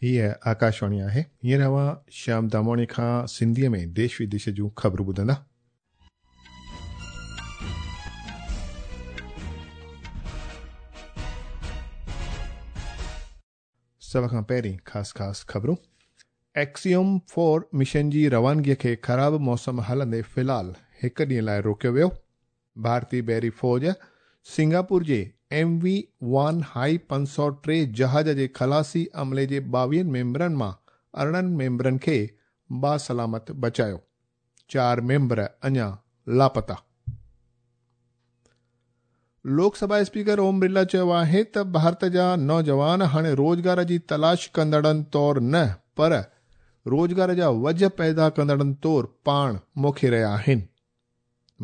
هيء آڪاشواڻي آهي. هينئر اوهان شيام داماڻي کان سنڌيء ۾ ديش وديش جون خبرون ٻڌندا. سڀ کان پهرين خاص خاص خبرون. ايڪسيوم فور مشن جي روانگيء کي خراب موسم هلندي في الحال هڪ ڏينهن لاء روڪيو ويو. ڀارتي بحري فوج سنگاپور جي ايم وي وان هائي 503 جهاز جي خلاصي عملي جي 22 ميمبرن مان 18 ميمبرن کي باسلامت بچايو، چار ميمبر اڃا لاپتا. لوڪ سڀا اسپيڪر اوم برلا چيو آهي ته ڀارت جا نوجوان هاڻي روزگار جي تلاش ڪندڙن طور نه پر روزگار جا وجهه پيدا ڪندڙن طور پاڻ موکي رهيا آهن.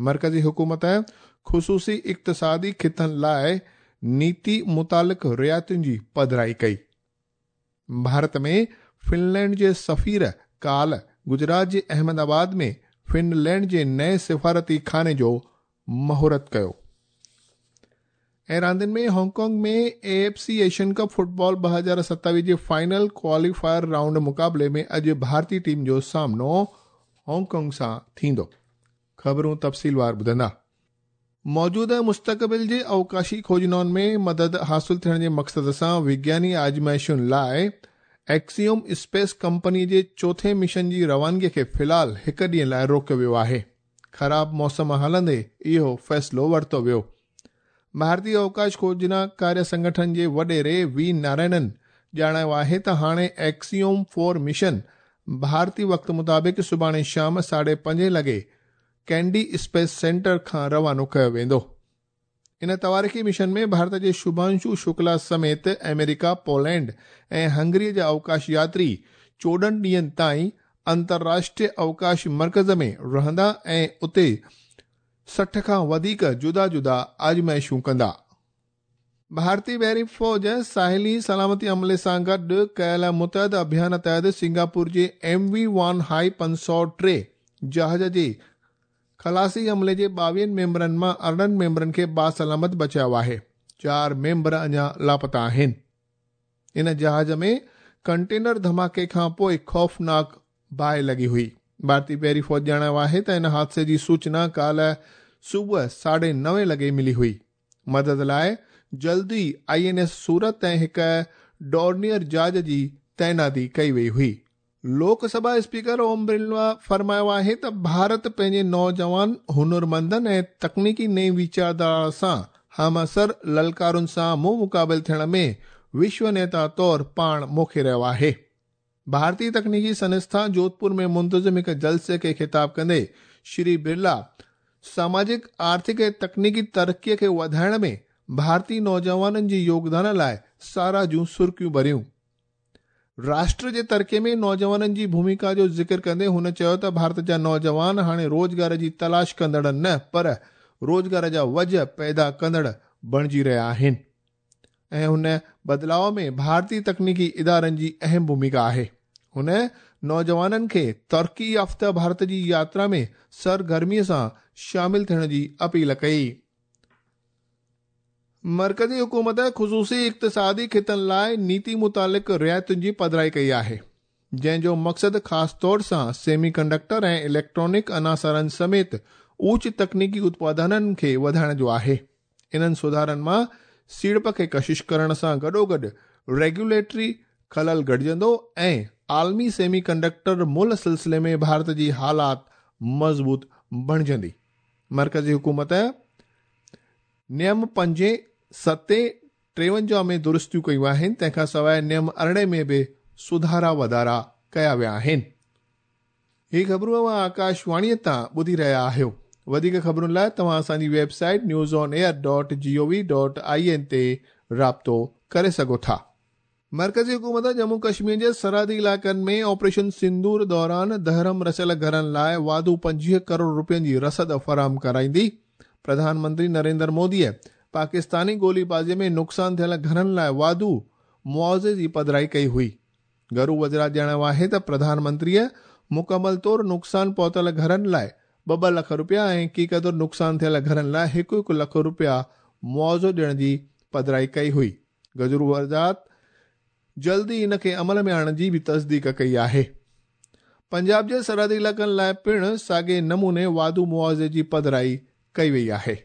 مرڪزي حڪومت خصوصي اقتصادي خطن لاء نيتي متعلق رعايتن جي پڌرائي ڪئي. ڀارت ۾ فنلينڊ جي سفير ڪالهه گجرات جي احمد آباد ۾ فنلينڊ جي نئين سفارتي خاني جو مهورت ڪيو. ۽ راندين ۾ Hong Kong ۾ A F C Asian cup football 2027 جي فائنل ڪواليفائر رائونڊ مقابلي ۾ اڄ ڀارتي ٽيم جو سامنو هانگ ڪانگ سان ٿيندو. خبرون تفصيلوار ٻڌندا. موجوده ۽ مستقبل جي اوڪاشي کوجنائن ۾ مدد حاصل ٿيڻ جي مقصد سان وگياني آزمائشن لاء ايڪسيوم اسپيس ڪمپني جي چوٿين مشن جي روانگي کي في الحال هڪ ڏينهن لاء روڪيو ويو آهي. خراب موسم هلندي اهو فيصلو ورتو ويو. ڀارتي اوڪاش کوجنا ڪاريه سنگٺن جي وڏيري وي نارائنن ڄاڻايو آهي ته هاڻي ايڪسيوم فور مشن ڀارتي وقت مطابق سڀاڻي شام ساڍي پنجين لڳي ڪينڊي اسپيس سينٽر کان روانو ڪيو ويندو. ان تواريخي مشن ۾ ڀارت جي شڀانشو شڪلا سميت آمريڪا، پولينڊ ۽ هنگري جا اوڪاش ياتري 14 ڏينهن تائين انترراشٽريه اوڪاش مرڪز ۾ رهندا ۽ اتي 60 کان وڌيڪ جدا جدا آزمائشون ڪندا. ڀارتي بحري فوج ساحلي سلامتي عملي سان گڏ ڪيل متحد اڀيان تحت سنگاپور جي ايم وي وان هائي 503 جهاز جي خلاصي عملي جي 22 ميمبرن مان 18 ميمبرن کي باسلامت بچايو آهي، چار ميمبر اڃا لاپتا آهن. ان جهاز ۾ ڪنٽينر ڌماڪي کان پوء خوفناڪ باهه لڳي هئي. ڀارتي بحري فوج ڄاڻايو آهي ته ان حادثي جي سوچنا ڪالهه صبح ساڍي نوين لڳي ملي هئي. مدد لاء جلد ئي آء اين ايس سورت ۽ هڪ ڊورنيئر جهاز جي تعيناتي ڪئي وئي هئي. لوڪ سڀا اسپيڪر اوم برلا فرمايو آهي ته ڀارت پنهنجي نوجوان هنرمندن ۽ تڪنيڪي نئين ويچارڌارا سان همعصر للڪارن سان منهن مقابل ٿيڻ ۾ وشو نيتا طور پاڻ موکي رهيو آهي. ڀارتي تڪنيڪي سنسٿا جوڌپور ۾ منتظم هڪ جلسي کي خطاب ڪندي شري برلا ساماجڪ، آرٿڪ ۽ تڪنيڪي ترقي کي وڌائڻ ۾ ڀارتي نوجوانن جي يوگدان لاء ساراهه جون سرڪيون ڀريون. راشٽر جي ترقي ۾ نوجوانن جي ڀوميڪا جو ذڪر ڪندي هن چيو ته ڀارت جا نوجوان هاڻي روزگار جي تلاش ڪندڙ نه پر روزگار جا وجهه پيدا ڪندڙ بڻجي رهيا آهن. ۽ ان بدلاء ۾ ڀارتي تڪنيڪي ادارن جي اهم ڀوميڪا آهي. هن نوجوانن کي ترقي يافته ڀارت جي ياترا ۾ سرگرمي سان شامل ٿيڻ جي اپيل ڪئي. مرڪزي حڪومت خصوصي اقتصادي خطن لاء نيتي متعلق رعايتن جي پڌرائي ڪئي آهي، جنهن جو مقصد خاص طور سان سيمي ڪنڊڪٽر ۽ اليڪٽرانڪ عناصرن سميت اوچ تڪنيڪي اتپادنن کي وڌائڻ جو آهي. انهن سڌارن مان سيڙپ کي ڪشش ڪرڻ سان گڏوگڏ ريگيوليٽري خلل گهٽجندو ۽ عالمي سيمي ڪنڊڪٽر ملهه سلسلي ۾ ڀارت جي حالات مضبوط بڻجندي. مرڪزي حڪومت نيم پنجين، ستين، 53 ۾ درستيون ڪيون آهن، تنهن کان سواء نيم 18 ۾ به سڌارا وڌارا ڪيا ويا آهن. هي خبرون اوهان آڪاش واڻيء تان ٻڌي رهيا آهيو. وڌيڪ خبرن لاء توهان اسان جي website news on air dot G O V dot I N تي رابطو ڪري سگهو ٿا. مرڪزي حڪومت ڄمون ڪشمير جي سرحدي علائقن ۾ آپريشن سندور دوران دهرم رسيل گهرن لاء واڌو 25 ڪروڙ رپين جي رسد فراهم ڪرائيندي. پرڌان منتري نريندر موديء پاڪستاني گولي بازي ۾ نقصان ٿيل گهرن لاء واڌو معاوضي جي پڌرائي ڪئي هئي. گهرو وزارت ڄاڻايو آهي ته پرڌان منتريء مڪمل طور نقصان پهتل گهرن لاء ٻه ٻه لک رپيا ۽ ڪي قدر نقصان ٿيل گهرن لاء هڪ هڪ لک رپيا معاوضو ڏيڻ جي پڌرائي ڪئي هئي. گهرو وزارت جلد ئي ان کي عمل ۾ آڻڻ جي به تصديق ڪئي آهي. پنجاب جي سرحدي علائقن لاء پڻ ساڳئي نموني واڌو معاوضي جي پڌرائي ڪئي وئي آهي.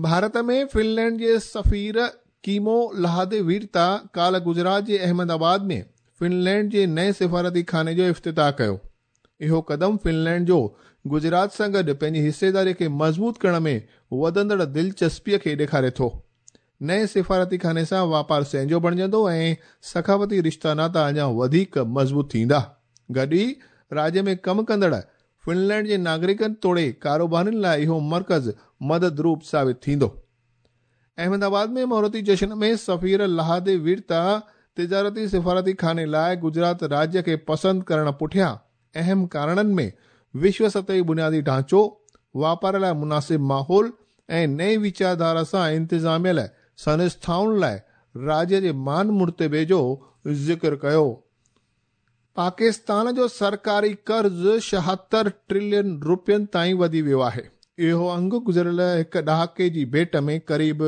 ڀارت ۾ فنلينڊ جي سفير ڪيمو لاهدي ويرتا ڪالهه گجرات جي احمد آباد ۾ فنلينڊ جي نئين سفارتي خاني جو افتتاح ڪيو. اهو قدم فنلينڊ جو گجرات سان گڏ پنهنجي حصيداري کي مضبوط ڪرڻ ۾ وڌندڙ دلچسپي کي ڏيکاري ٿو. نئين سفارتي خاني سان واپار سهنجو بڻجندو ۽ ثقافتي رشتا ناتا اڃا وڌيڪ مضبوط ٿيندا. گڏ ئي راڄ ۾ ڪم ڪندڙ فنلينڊ جي ناگرڪن توڙي ڪاروبارين لاء اهو مرڪز مدد روپ ثابت ٿيندو. احمد آباد ۾ مهورتي جشن ۾ سفير لاهدي ويرتا تجارتي سفارتي خاني لاء گجرات راجيه کي پسند ڪرڻ پٺيان اهم ڪارڻن ۾ وشو سطحي بنيادي ڍانچو، واپار لاء مناسب ماحول ۽ نئين ويچارڌارا سان انتظاميل سنسٿائن لاء راجيه جي مان مرتبي جو ذڪر ڪيو. پاڪستان جو سرڪاري قرض 76 ٽريلين رپين تائين وڌي ويو آهي. اهو انگ گذريل هڪ ڏهاڪي جي ڀيٽ ۾ قريب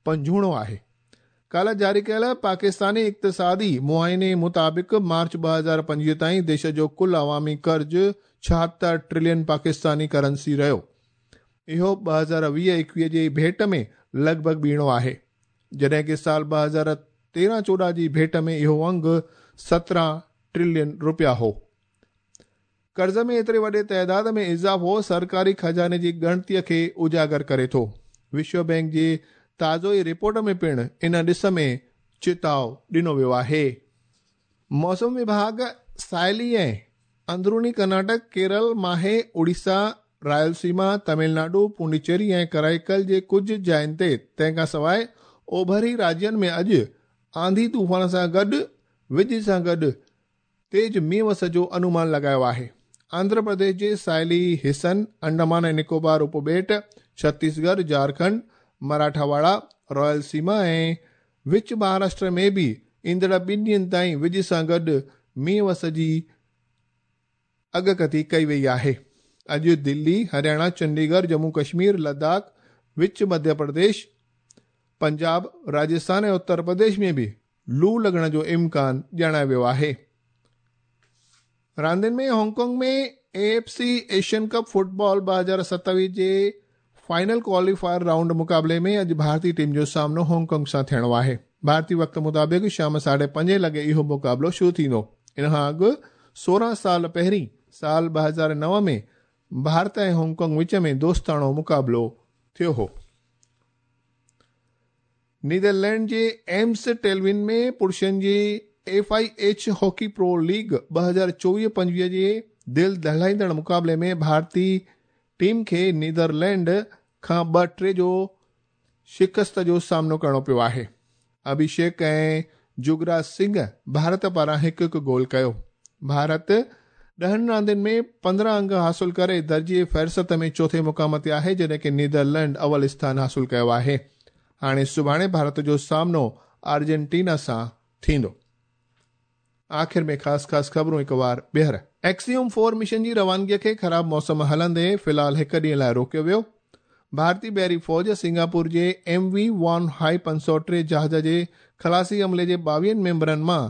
پنجوڻو آهي. ڪالهه جاري ڪيل پاڪستاني اقتصادي معائني مطابق مارچ 2025 تائين ديش جو ڪل عوامي قرض 76 ٽريلين پاڪستاني ڪرنسي رهيو. اهو 2020-21 جي ڀيٽ ۾ لڳ ڀڳ ٻيڻو آهي. جڏهن ڪه سال 2013-14 جي ڀيٽ ۾ اهو انگ 17 ٽريلين رپيا هو. قرض ۾ ايتري وڏي تعداد ۾ اضافو سرڪاري خزاني جي ڳڻتيء کي اجاگر ڪري ٿو. وشو بئنڪ جي تازو ئي رپورٽ ۾ پڻ ان ڏس ۾ چتاء ڏنو ويو آهي. موسم وڀاڳ ساحلي ۽ اندروني ڪرناٽڪ، ڪيرل، ماهي، اوڙيسا، رائل سيما، تامل ناڊو، پونڊيچيري ۽ ڪرائيڪل جي ڪجهه جاين تي تنهن کان سواء اوڀري راجين ۾ اڄ آنڌي طوفان سان گڏ وڄ سان گڏ تيز مينهن وس جو انومان لڳايو آهي. آنڌرا پرديش جي ساحلي حصن، انڊمان ۽ نڪوبار اپٻيٽ، ڇتيسڳڙهه، جهارکنڊ، مراٺاواڙا، رائل سيما ۽ وچ مهاراشٽر ۾ به ايندڙ ٻن ڏينهن تائين وڄ سان گڏ مينهن وس جي اڳڪٿي ڪئي وئي آهي. اڄ دلي، هرياڻا، چنڊيڳڙهه، ڄمون ڪشمير، لداخ، وچ مڌيه پرديش، پنجاب، راجسٿان ۽ اتر پرديش ۾ به لو لڳڻ جو امڪان ڄاڻايو ويو آهي. راندين ۾ Hong Kong ۾ A F C Asian cup football 2027 جي فائنل ڪواليفائر رائونڊ مقابلي ۾ اڄ ڀارتي ٽيم جو سامنو هانگ ڪانگ سان ٿيڻو آهي. ڀارتي وقت مطابق شام 5:30 لڳي اهو مقابلو شروع ٿيندو. ان کان اڳ 16 سال پهرين سال 2009 ۾ ڀارت ۽ هانگ ڪانگ وچ ۾ دوستاڻو مقابلو ٿيو هو. نيدرلينڊ جي ايمس ٽيلوين ۾ پرشن جي F I H hockey pro league 2024-25 جي دل دهلائيندڙ مقابلي ۾ ڀارتي ٽيم کي نيدرلينڊ کان 2-3 جو شڪست جو سامنو ڪرڻو پيو آهي. اڀيشيڪ ۽ جگراج سنگهه ڀارت پاران هڪ هڪ گول ڪيو. ڀارت 10 راندين ۾ 15 انگ حاصل ڪري درجي فهرست ۾ چوٿين مقام تي آهي جڏهن ڪه نيدرلينڊ اول اسٿان حاصل ڪيو آهي. هاڻي سڀاڻي ڀارت جو سامنو آرجنٽينا سان ٿيندو. آخر ۾ خاص خاص خبرون هڪ وار ٻيهر. ايڪسيوم فور مشن جي روانگي کي خراب موسم هلندي في الحال هڪ ڏينهن لاء روڪيو ويو. ڀارتي بحري فوج سنگاپور جي ايم وي وان هائي 503 جهاز جي خلاصي عملي جي 22 ميمبرن مان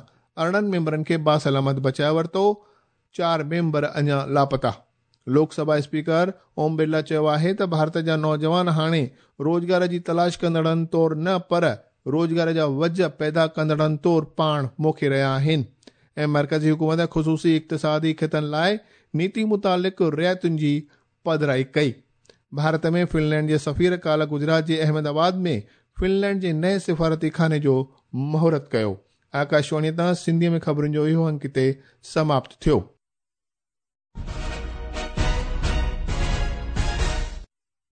18 ميمبرن کي باسلامت بچائي ورتو، 4 ميمبر اڃا لاپتا. لوڪ سڀا اسپيڪر اوم برلا چيو آهي ته ڀارت جا نوجوان هاڻي روزگار جي تلاش ڪندڙن طور نه پر روزگار جا وجهه پيدا ڪندڙن طور پاڻ موکي رهيا آهن ۽ مرڪزي حڪومت خصوصي اقتصادي خطن لاء نيتي متعلق رعايتن جي پڌرائي ڪئي. ڀارت ۾ فنلينڊ جي سفير ڪالهه گجرات جي احمد آباد ۾ فنلينڊ جي نئين سفارتي خاني جو مهورت ڪيو. آڪاشواڻي تان سنڌي ۾ خبرن جو اهو انڪ هتي سماپت ٿيو.